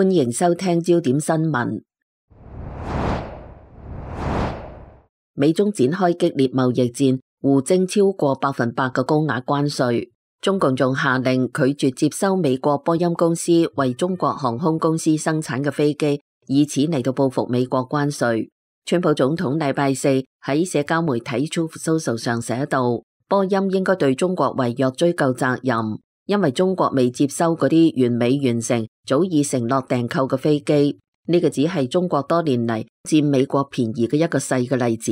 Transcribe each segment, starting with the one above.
歡迎收聽焦點新聞。美中展開激烈貿易戰，互徵超過100%嘅高額關稅。中共仲下令拒絕接收美國波音公司為中國航空公司生產嘅飛機，以此嚟到報復美國關稅。川普總統禮拜四喺社交媒體 Truth Social 上寫道，波音應該對中國違約追究責任，因為中國未接收嗰啲完美完成、早已承諾訂購嘅飛機。呢個只係中國多年嚟佔美國便宜嘅一個細嘅例子。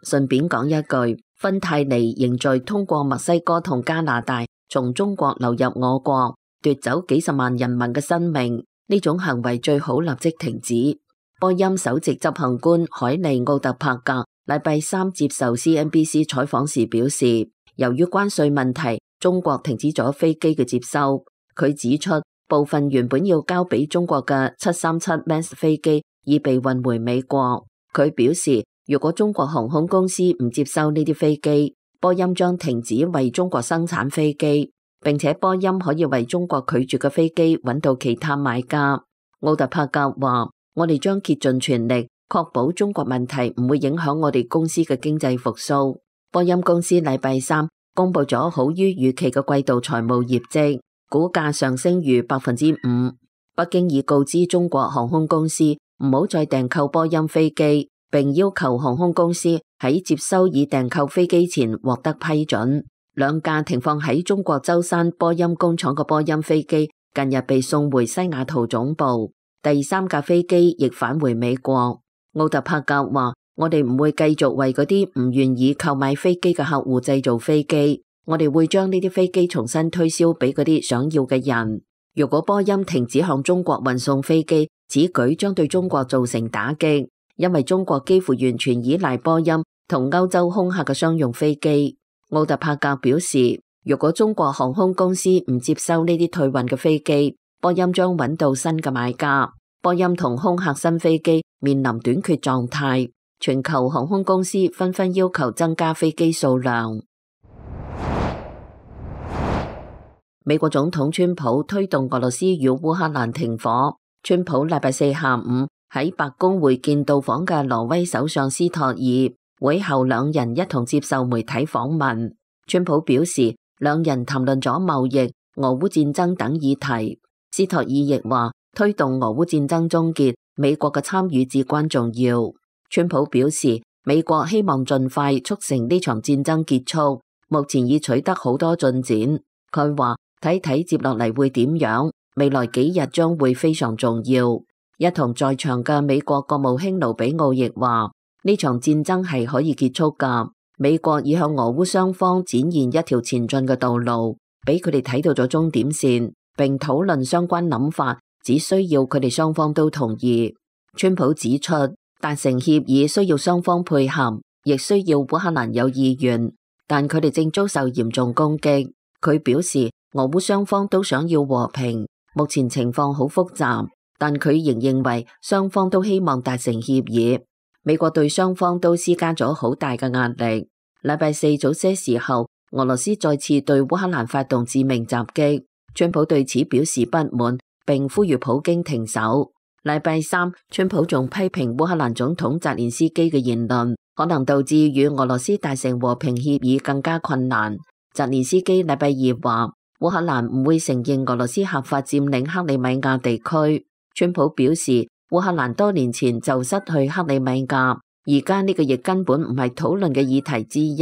順便講一句，芬太尼仍在通過墨西哥同加拿大從中國流入我國，奪走幾十萬人民嘅生命。呢種行為最好立即停止。波音首席執行官海利奧特柏格禮拜三接受 CNBC 採訪時表示，由於關稅問題，中國停止咗飛機嘅接收。佢指出，部分原本要交俾中國嘅737 MAX 飛機已被運回美國。佢表示，如果中國航空公司唔接收呢啲飛機，波音將停止為中國生產飛機，並且波音可以為中國拒絕嘅飛機揾到其他買家。奧特柏格話，我哋將竭盡全力確保中國問題唔會影響我哋公司嘅經濟復甦。波音公司禮拜三公布咗好於預期嘅季度財務業績，股價上升逾5%。北京已告知中國航空公司唔好再訂購波音飛機，並要求航空公司喺接收已訂購飛機前獲得批准。兩架停放喺中國舟山波音工廠嘅波音飛機近日被送回西雅圖總部，第三架飛機亦返回美國。奧特柏格話，我哋唔會繼續為嗰啲唔願意購買飛機嘅客戶製造飛機，我哋會將呢啲飛機重新推銷俾嗰啲想要嘅人。如果波音停止向中國運送飛機，此舉將對中國造成打擊，因為中國幾乎完全依賴波音同歐洲空客嘅商用飛機。奧特柏格表示，如果中國航空公司唔接收呢啲退運嘅飛機，波音將揾到新嘅買家。波音同空客新飛機面臨短缺狀態，全球航空公司紛紛要求增加飛機數量。美國總統川普推動俄羅斯與烏克蘭停火。川普禮拜四下午喺白宮會見到訪嘅挪威首相斯托爾，會後兩人一同接受媒體訪問。川普表示，兩人談論咗貿易、俄烏戰爭等議題。斯托爾亦話，推動俄烏戰爭終結，美國嘅參與至關重要。川普表示，美國希望盡快促成呢場戰爭結束，目前已取得好多進展。佢話，睇睇接落嚟會點樣，未來幾日將會非常重要。一同在場嘅美國國務卿盧比奧亦話，呢場戰爭係可以結束㗎。美國已向俄烏雙方展現一條前進嘅道路，俾佢哋睇到咗終點線，並討論相關諗法，只需要佢哋雙方都同意。川普指出，達成協議需要雙方配合，亦需要烏克蘭有意願，但佢哋正遭受嚴重攻擊。佢表示，俄烏雙方都想要和平，目前情況好複雜，但佢仍認為雙方都希望達成協議。美國對雙方都施加咗好大嘅壓力。禮拜四早些時候，俄羅斯再次對烏克蘭發動致命襲擊，川普對此表示不滿，並呼籲普京停手。禮拜三，川普仲批評烏克蘭總統澤連斯基嘅言論，可能導致與俄羅斯達成和平協議更加困難。澤連斯基禮拜二話，烏克蘭唔會承認俄羅斯合法佔領克里米亞地區。川普表示，烏克蘭多年前就失去克里米亞，而家呢個亦根本唔係討論嘅議題之一。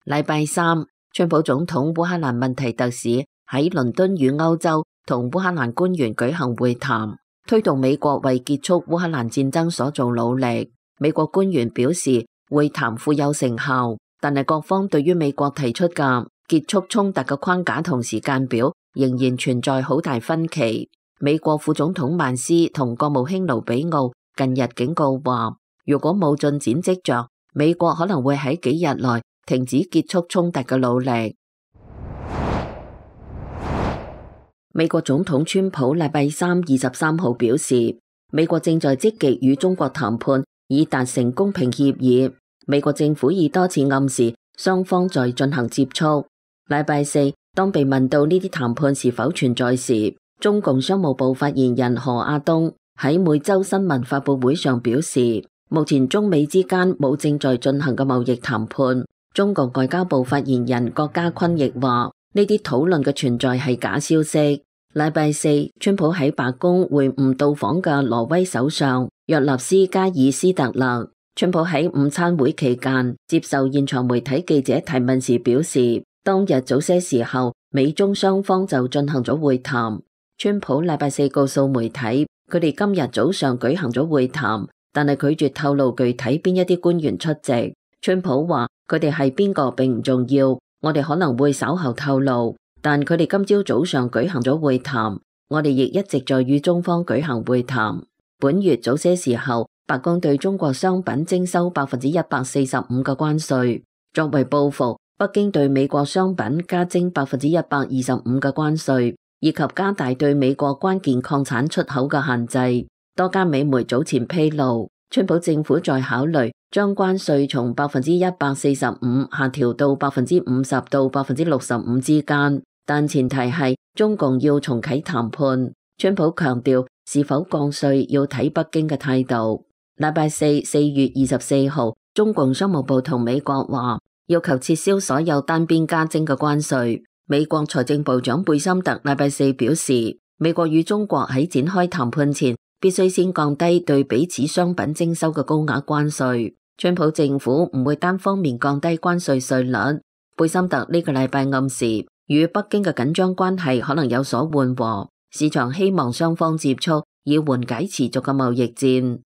禮拜三，川普總統烏克蘭問題特使喺倫敦與歐洲同烏克蘭官員舉行會談，推動美國為結束烏克蘭戰爭所做努力。美國官員表示，會談富有成效，但係各方對於美國提出嘅結束衝突嘅框架同時間表仍然存在好大分歧。美國副總統曼斯同國務卿盧比奧近日警告話，如果冇進展跡象，美國可能會喺幾日內停止結束衝突嘅努力。美國總統川普禮拜三23號表示，美國正在積極與中國談判，以達成公平協議。美國政府已多次暗示雙方在進行接觸。禮拜四，當被問到呢啲談判是否存在時，中共商務部發言人何亞東喺每周新聞發佈會上表示，目前中美之間冇正在進行嘅貿易談判。中國外交部發言人郭家坤亦話，呢啲討論嘅存在係假消息。禮拜四，川普喺白宮會晤到訪嘅挪威首相約納斯加爾斯特勒。川普喺午餐會期間接受現場媒體記者提問時表示，當日早些時候，美中雙方就進行咗會談。川普禮拜四告訴媒體，佢哋今日早上舉行咗會談，但係拒絕透露具體邊一啲官員出席。川普話，佢哋係邊個並唔重要，我哋可能會稍後透露，但佢哋今朝早上舉行咗會談，我哋亦一直在與中方舉行會談。本月早些時候，白宮對中國商品徵收145%嘅關稅，作為報復，北京對美國商品加徵125%嘅關稅，以及加大對美國關鍵礦產出口嘅限制。多家美媒早前披露，川普政府在考慮將關稅從145%下調到50%到65%之間，但前提係中共要重啟談判。川普強調，是否降稅要睇北京嘅態度。禮拜四4月24號，中共商務部同美國話要求撤銷所有單邊加徵嘅關稅。美國財政部長貝森特禮拜四表示，美國與中國喺展開談判前，必須先降低對彼此商品徵收嘅高額關稅。川普政府唔會單方面降低關稅稅率。貝森特呢個禮拜暗示，與北京嘅緊張關係可能有所緩和，市場希望雙方接觸，以緩解持續嘅貿易戰。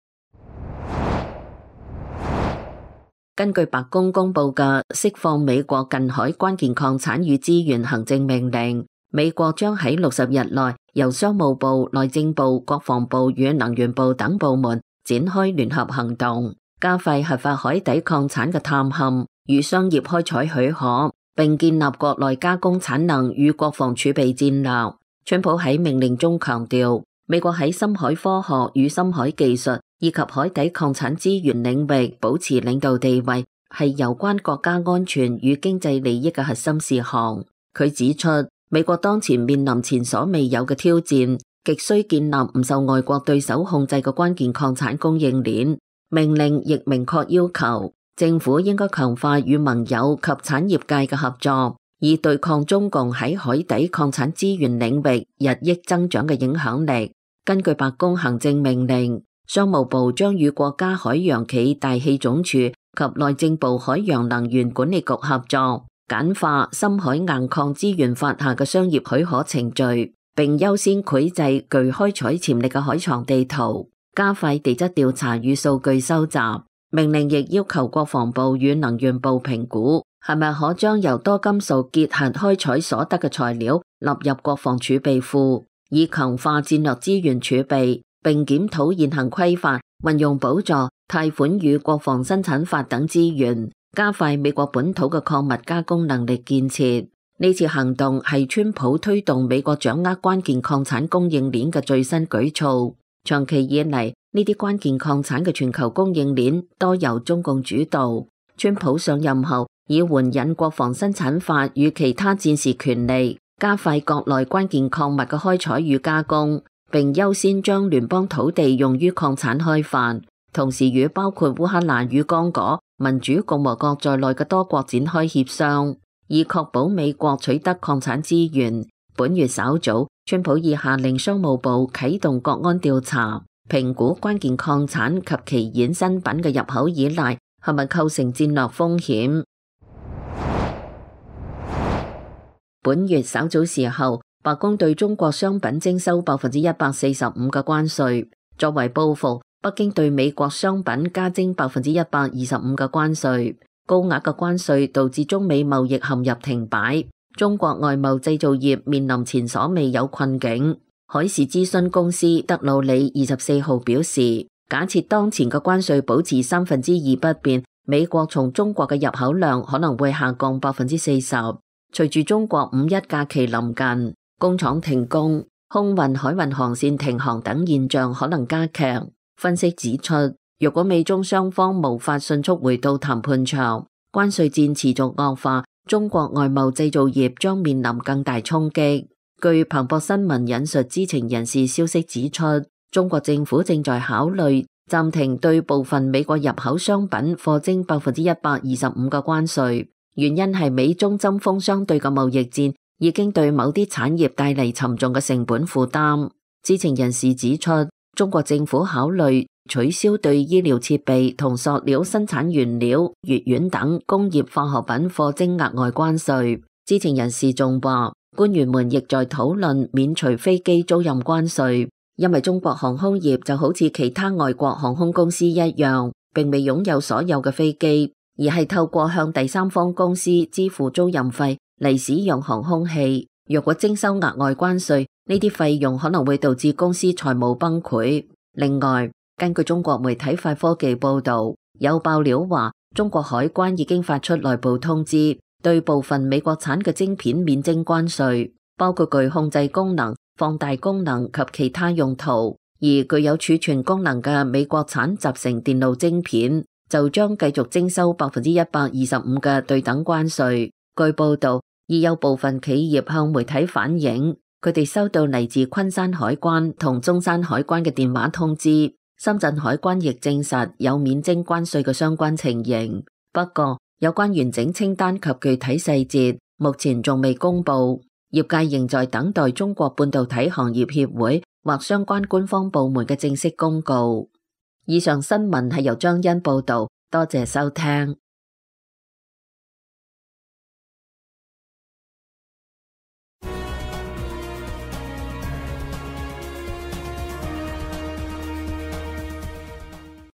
根據白宮公布嘅釋放美國近海關鍵礦產與資源行政命令，美國將喺60日內由商務部、內政部、國防部與能源部等部門展開聯合行動，加快核發海底礦產嘅探勘與商業開採許可，並建立國內加工產能與國防儲備戰略。川普喺命令中強調，美國喺深海科學與深海技術以及海底礦產資源領域保持領導地位，係有關國家安全與經濟利益嘅核心事項。佢指出，美國當前面臨前所未有嘅挑戰，極需建立唔受外國對手控制嘅關鍵礦產供應鏈。命令亦明確要求政府應該強化與盟友及產業界嘅合作，以對抗中共喺海底礦產資源領域日益增長嘅影響力。根據白宮行政命令，商務部將與國家海洋暨大氣總署及內政部海洋能源管理局合作，簡化深海硬礦資源法下嘅商業許可程序，並優先繪製具開採潛力嘅海床地圖，加快地質調查與數據收集。命令亦要求國防部與能源部評估係咪可將由多金屬結合開採所得嘅材料納入國防儲備庫，以強化戰略資源儲備，並檢討現行規範，運用補助、貸款與國防生產法等資源，加快美國本土嘅礦物加工能力建設。呢次行動係川普推動美國掌握關鍵礦產供應鏈嘅最新舉措。長期以嚟，呢啲關鍵礦產嘅全球供應鏈多由中共主導。川普上任後，以援引國防生產法與其他戰時權利，加快國內關鍵礦物嘅開採與加工，並優先將聯邦土地用於礦產開發，同時與包括烏克蘭與剛果民主共和國在內嘅多國展開協商，以確保美國取得礦產資源。本月稍早，川普已下令商務部啟動國安調查，評估關鍵礦產及其衍生品嘅入口依賴係咪構成戰略風險。本月稍早時候，白宮對中國商品徵收145%嘅關稅，作為報復，北京對美國商品加徵125%嘅關稅。高額嘅關稅導致中美貿易陷入停擺。中國外貿製造業面臨前所未有困境。海事諮詢公司德魯里24號表示，假設當前嘅關稅保持2%不變，美國從中國嘅入口量可能會下降40%。隨住中國五一假期臨近，工廠停工、空運、海運航線停航等現象可能加劇。分析指出，若果美中雙方無法迅速回到談判場，關稅戰持續惡化，中國外貿製造業將面臨更大衝擊。據彭博新聞引述知情人士消息指出，中國政府正在考慮暫停對部分美國入口商品課徵125%嘅關稅，原因係美中針鋒相對嘅貿易戰已經對某啲產業帶嚟沉重嘅成本負擔。知情人士指出，中國政府考慮取消對醫療設備同塑料生產原料、乙烷等工業化學品課徵額外關稅。知情人士仲話，官員們亦在討論免除飛機租賃關稅，因為中國航空業就好似其他外國航空公司一樣，並未擁有所有嘅飛機，而係透過向第三方公司支付租賃費嚟使用航空器。若果徵收額外關稅，呢啲費用可能會導致公司財務崩潰。另外，根據中國媒體快科技報道，有爆料話中國海關已經發出內部通知，對部分美國產嘅晶片免徵關稅，包括具控制功能、放大功能及其他用途。而具有儲存功能嘅美國產集成電路晶片就將繼續徵收125%嘅對等關稅。據報道，已有部分企業向媒體反映，佢哋收到嚟自昆山海關同中山海關嘅電話通知。深圳海關亦證實有免徵關稅嘅相關情形，不過有關完整清單及具體細節目前仲未公布，業界仍在等待中國半導體行業協會或相關官方部門嘅正式公告。以上新聞係由張欣報道，多謝收聽。